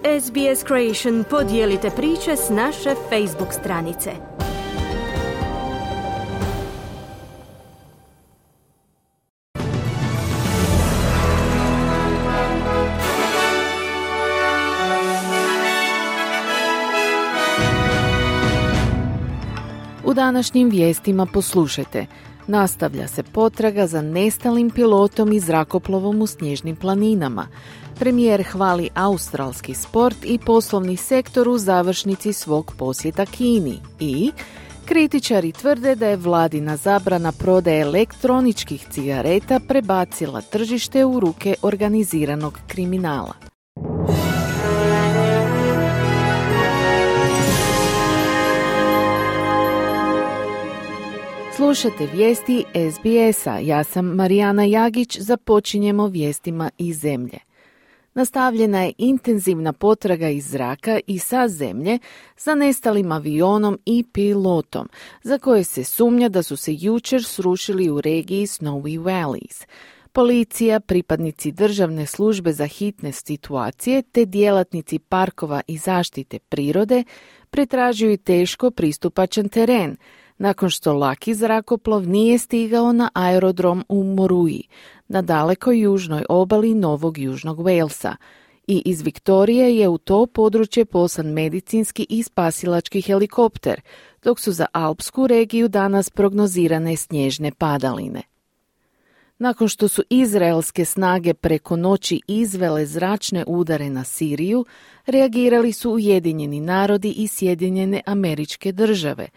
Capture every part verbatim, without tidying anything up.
S B S Creation podijelite priče s naše Facebook stranice. U današnjim vijestima poslušajte. Nastavlja se potraga za nestalim pilotom i zrakoplovom u snježnim planinama. Premijer hvali australski sport i poslovni sektor u završnici svog posjeta Kini. I kritičari tvrde da je vladina zabrana prodaje elektroničkih cigareta prebacila tržište u ruke organiziranog kriminala. Slušate vijesti S B S-a. Ja sam Marijana Jagić, započinjemo vijestima iz zemlje. Nastavljena je intenzivna potraga iz zraka i sa zemlje za nestalim avionom i pilotom, za koje se sumnja da su se jučer srušili u regiji Snowy Valleys. Policija, pripadnici državne službe za hitne situacije te djelatnici parkova i zaštite prirode pretražuju teško pristupačan teren, nakon što laki zrakoplov nije stigao na aerodrom u Moruji, na dalekoj južnoj obali Novog Južnog Walesa. I iz Viktorije je u to područje poslan medicinski i spasilački helikopter, dok su za alpsku regiju danas prognozirane snježne padaline. Nakon što su izraelske snage preko noći izvele zračne udare na Siriju, reagirali su Ujedinjeni narodi i Sjedinjene Američke Države,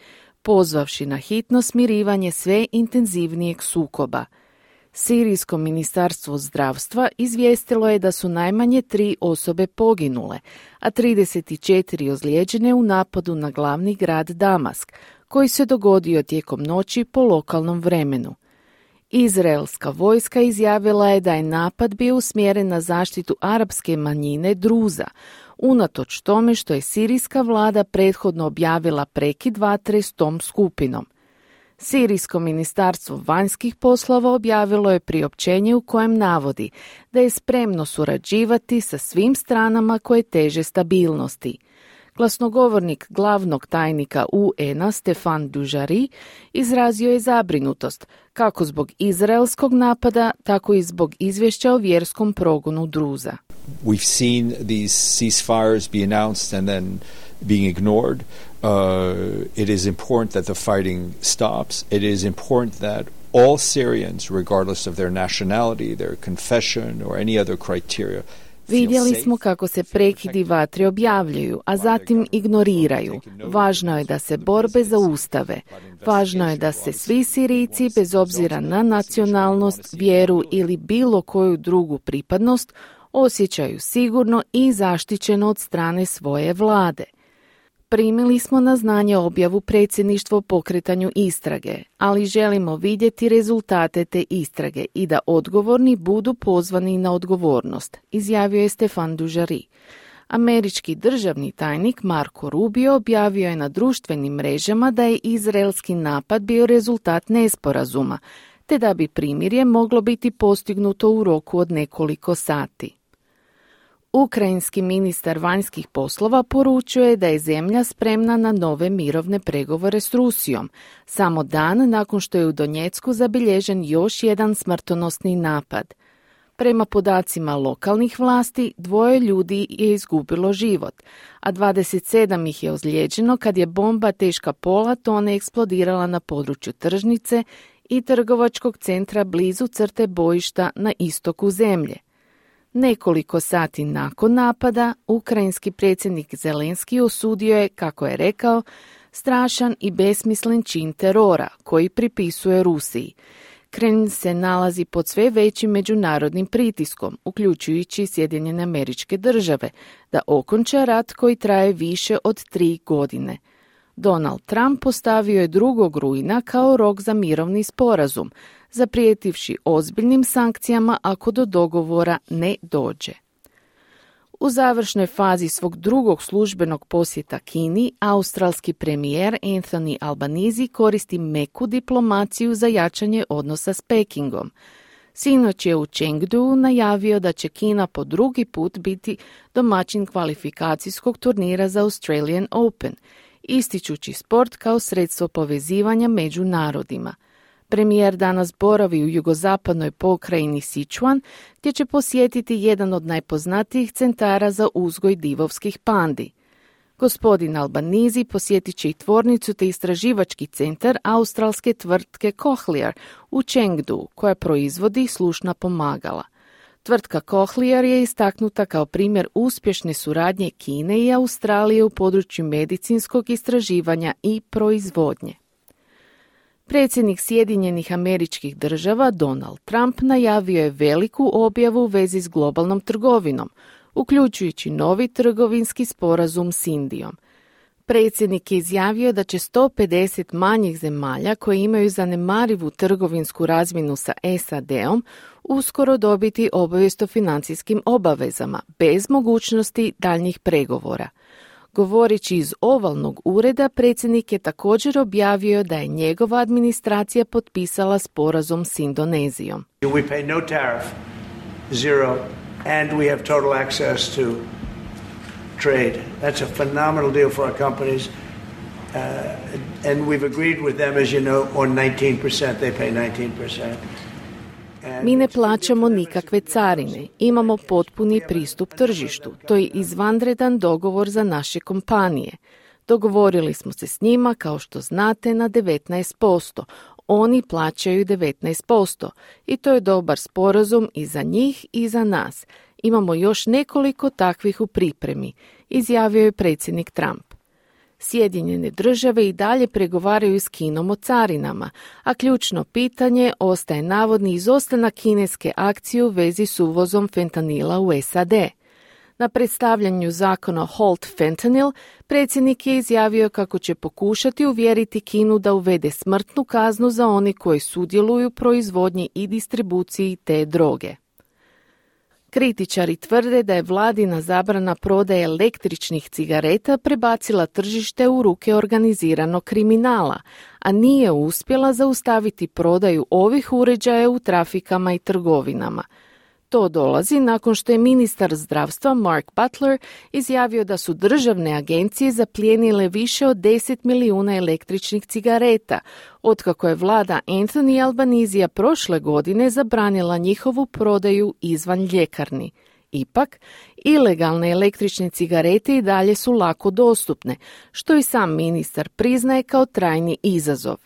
pozvavši na hitno smirivanje sve intenzivnijeg sukoba. Sirijsko ministarstvo zdravstva izvijestilo je da su najmanje tri osobe poginule, a trideset četiri ozlijeđene u napadu na glavni grad Damask, koji se dogodio tijekom noći po lokalnom vremenu. Izraelska vojska izjavila je da je napad bio usmjeren na zaštitu arapske manjine Druza, unatoč tome što je sirijska vlada prethodno objavila prekid vatre s tom skupinom. Sirijsko ministarstvo vanjskih poslova objavilo je priopćenje u kojem navodi da je spremno surađivati sa svim stranama koje teže stabilnosti. Glasnogovornik glavnog tajnika U N-a Stefan Dujarric izrazio je zabrinutost kako zbog izraelskog napada, tako i zbog izvješća o vjerskom progonu Druza. We've seen these ceasefires be announced and then being ignored. Uh, it is important that the fighting stops. It is important that all Syrians, regardless of their nationality, their confession or any other criteria, vidjeli smo kako se prekidi vatre objavljuju, a zatim ignoriraju. Važno je da se borbe zaustave. Važno je da se svi Sirijci, bez obzira na nacionalnost, vjeru ili bilo koju drugu pripadnost, osjećaju sigurno i zaštićeno od strane svoje vlade. Primili smo na znanje objavu predsjedništva o pokretanju istrage, ali želimo vidjeti rezultate te istrage i da odgovorni budu pozvani na odgovornost, izjavio je Stefan Dujarric. Američki državni tajnik Marco Rubio objavio je na društvenim mrežama da je izraelski napad bio rezultat nesporazuma, te da bi primirje moglo biti postignuto u roku od nekoliko sati. Ukrajinski ministar vanjskih poslova poručuje da je zemlja spremna na nove mirovne pregovore s Rusijom, samo dan nakon što je u Donjecku zabilježen još jedan smrtonosni napad. Prema podacima lokalnih vlasti, dvoje ljudi je izgubilo život, a dvadeset sedam ih je ozlijeđeno kad je bomba teška pola tone eksplodirala na području tržnice i trgovačkog centra blizu crte bojišta na istoku zemlje. Nekoliko sati nakon napada, ukrajinski predsjednik Zelenski osudio je, kako je rekao, strašan i besmislen čin terora koji pripisuje Rusiji. Kremlj se nalazi pod sve većim međunarodnim pritiskom, uključujući Sjedinjene Američke Države, da okonča rat koji traje više od tri godine. Donald Trump postavio je drugog rujna kao rok za mirovni sporazum, zaprijetivši ozbiljnim sankcijama ako do dogovora ne dođe. U završnoj fazi svog drugog službenog posjeta Kini, australski premijer Anthony Albanese koristi meku diplomaciju za jačanje odnosa s Pekingom. Sinoć je u Chengdu najavio da će Kina po drugi put biti domaćin kvalifikacijskog turnira za Australian Open, ističući sport kao sredstvo povezivanja među narodima. Premijer danas boravi u jugozapadnoj pokrajini Sichuan, gdje će posjetiti jedan od najpoznatijih centara za uzgoj divovskih pandi. Gospodin Albanizi posjetit će i tvornicu te istraživački centar australske tvrtke Cochlear u Chengdu, koja proizvodi slušna pomagala. Tvrtka Cochlear je istaknuta kao primjer uspješne suradnje Kine i Australije u području medicinskog istraživanja i proizvodnje. Predsjednik Sjedinjenih Američkih Država Donald Trump najavio je veliku objavu u vezi s globalnom trgovinom, uključujući novi trgovinski sporazum s Indijom. Predsjednik je izjavio da će sto pedeset manjih zemalja koje imaju zanemarivu trgovinsku razmjenu sa S A D-om uskoro dobiti obavijest o financijskim obavezama, bez mogućnosti daljnjih pregovora. Govoreći iz ovalnog ureda, predsjednik je također objavio da je njegova administracija potpisala sporazum s Indonezijom. We pay no tariff, zero, and we have total access to trade. That's a phenomenal deal for our companies. Uh, and we've agreed with them, as you know, on nineteen percent. They pay nineteen percent. Mi ne plaćamo nikakve carine, imamo potpuni pristup tržištu. To je izvanredan dogovor za naše kompanije. Dogovorili smo se s njima, kao što znate, na devetnaest posto. Oni plaćaju devetnaest posto i to je dobar sporazum i za njih i za nas. Imamo još nekoliko takvih u pripremi, izjavio je predsjednik Trump. Sjedinjene države i dalje pregovaraju s Kinom o carinama, a ključno pitanje ostaje navodni izostanak kineske akcije u vezi s uvozom fentanila u S A D. Na predstavljanju zakona Halt Fentanyl, predsjednik je izjavio kako će pokušati uvjeriti Kinu da uvede smrtnu kaznu za one koji sudjeluju u proizvodnji i distribuciji te droge. Kritičari tvrde da je vladina zabrana prodaje električnih cigareta prebacila tržište u ruke organiziranog kriminala, a nije uspjela zaustaviti prodaju ovih uređaja u trafikama i trgovinama. To dolazi nakon što je ministar zdravstva Mark Butler izjavio da su državne agencije zaplijenile više od deset milijuna električnih cigareta, otkako je vlada Anthony Albanizija prošle godine zabranila njihovu prodaju izvan ljekarni. Ipak, ilegalne električne cigarete i dalje su lako dostupne, što i sam ministar priznaje kao trajni izazov.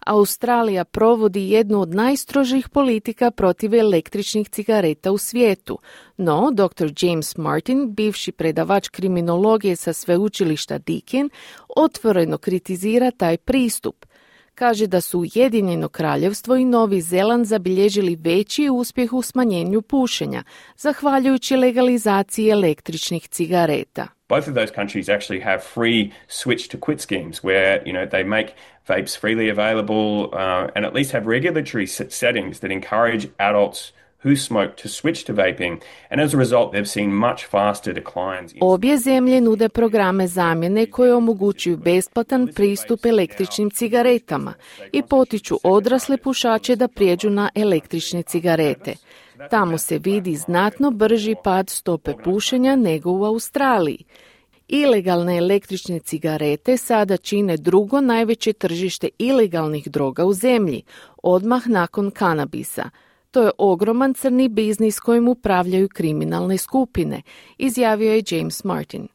Australija provodi jednu od najstrožih politika protiv električnih cigareta u svijetu, no doktor James Martin, bivši predavač kriminologije sa sveučilišta Deakin, otvoreno kritizira taj pristup. Kaže da su Ujedinjeno Kraljevstvo i Novi Zeland zabilježili veći uspjeh u smanjenju pušenja, zahvaljujući legalizaciji električnih cigareta. Both of those countries actually have free switch to quit schemes where, you know, they make vapes freely available uh, and at least have regulatory settings that encourage adults who smoke to switch to vaping, and as a result they've seen much faster declines. Obje zemlje nude programe zamjene koje omogućuju besplatan pristup električnim cigaretama i potiču odrasle pušače da prijeđu na električne cigarete. Tamo se vidi znatno brži pad stope pušenja nego u Australiji. Ilegalne električne cigarete sada čine drugo najveće tržište ilegalnih droga u zemlji, odmah nakon kanabisa. To je ogroman crni biznis kojim upravljaju kriminalne skupine, izjavio je James Martin.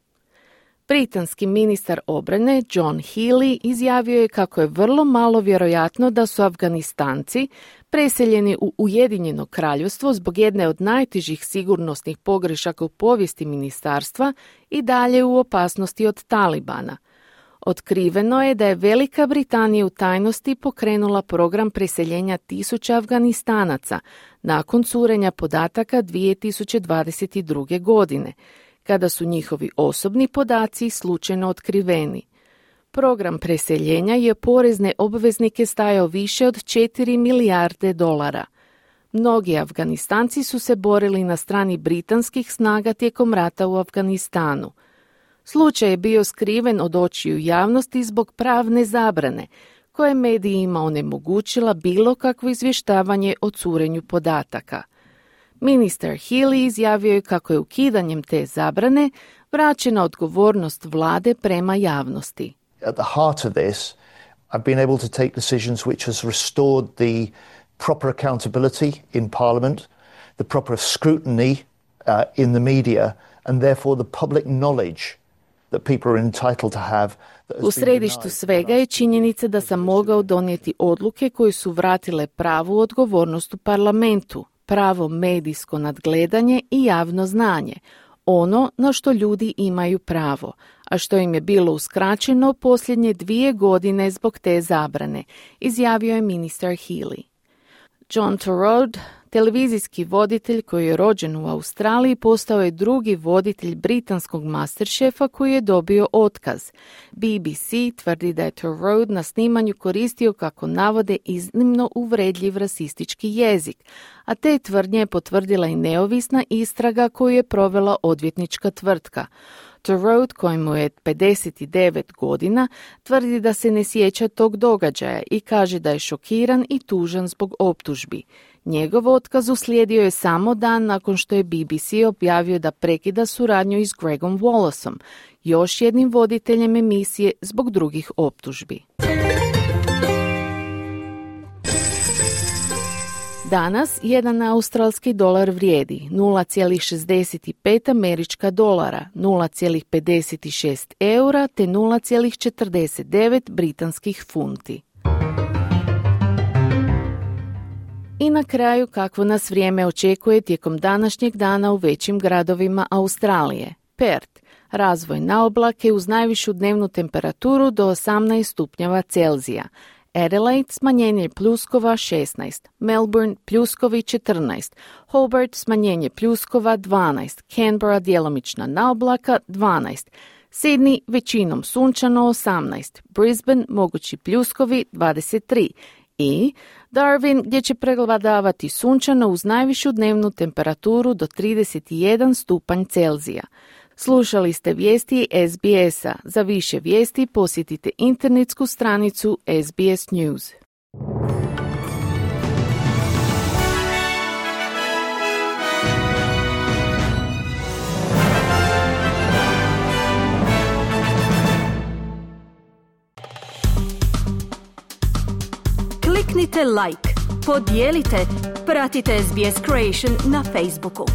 Britanski ministar obrane John Healey izjavio je kako je vrlo malo vjerojatno da su Afganistanci preseljeni u Ujedinjeno Kraljevstvo zbog jedne od najtežih sigurnosnih pogrešaka u povijesti ministarstva i dalje u opasnosti od Talibana. Otkriveno je da je Velika Britanija u tajnosti pokrenula program preseljenja tisuća Afganistanaca nakon curenja podataka dvije tisuće dvadeset druge. godine, kada su njihovi osobni podaci slučajno otkriveni. Program preseljenja je porezne obveznike stajao više od četiri milijarde dolara. Mnogi Afganistanci su se borili na strani britanskih snaga tijekom rata u Afganistanu. Slučaj je bio skriven od očiju javnosti zbog pravne zabrane, koja je medijima onemogućila bilo kakvo izvještavanje o curenju podataka. Ministar Healey izjavio je kako je ukidanjem te zabrane vraćena odgovornost vlade prema javnosti. At the heart of this, I've been able to take decisions which has restored the proper accountability in Parliament, the proper scrutiny uh, in the media, and therefore the public knowledge that people are entitled to have. U središtu svega je činjenica da sam mogao donijeti odluke koje su vratile pravu odgovornost u parlamentu, pravo medijsko nadgledanje i javno znanje, ono na što ljudi imaju pravo, a što im je bilo uskraćeno posljednje dvije godine zbog te zabrane, izjavio je ministar Healey. John Torode, televizijski voditelj koji je rođen u Australiji, postao je drugi voditelj britanskog Masterchefa koji je dobio otkaz. B B C tvrdi da je Torode na snimanju koristio, kako navode, iznimno uvredljiv rasistički jezik, a te tvrdnje je potvrdila i neovisna istraga koju je provela odvjetnička tvrtka. Torode, kojemu je pedeset devet godina, tvrdi da se ne sjeća tog događaja i kaže da je šokiran i tužan zbog optužbi. Njegov otkaz uslijedio je samo dan nakon što je B B C objavio da prekida suradnju i s Gregom Wallaceom, još jednim voditeljem emisije, zbog drugih optužbi. Danas jedan australski dolar vrijedi nula zarez šezdeset pet američka dolara, nula zarez pedeset šest eura te nula zarez četrdeset devet britanskih funti. I na kraju, kakvo nas vrijeme očekuje tijekom današnjeg dana u većim gradovima Australije. Perth, razvoj na oblake uz najvišu dnevnu temperaturu do osamnaest stupnjeva Celzija. Adelaide, smanjenje pljuskova šesnaest, Melbourne, pljuskovi četrnaest, Hobart, smanjenje pljuskova dvanaest, Canberra, djelomična naoblaka dvanaest, Sydney, većinom sunčano osamnaest, Brisbane, mogući pljuskovi dvadeset tri i Darwin, gdje će prevladavati sunčano uz najvišu dnevnu temperaturu do trideset jedan stupanj Celzija. Slušali ste vijesti S B S-a. Za više vijesti posjetite internetsku stranicu S B S News. Kliknite like, podijelite, pratite S B S Creation na Facebooku.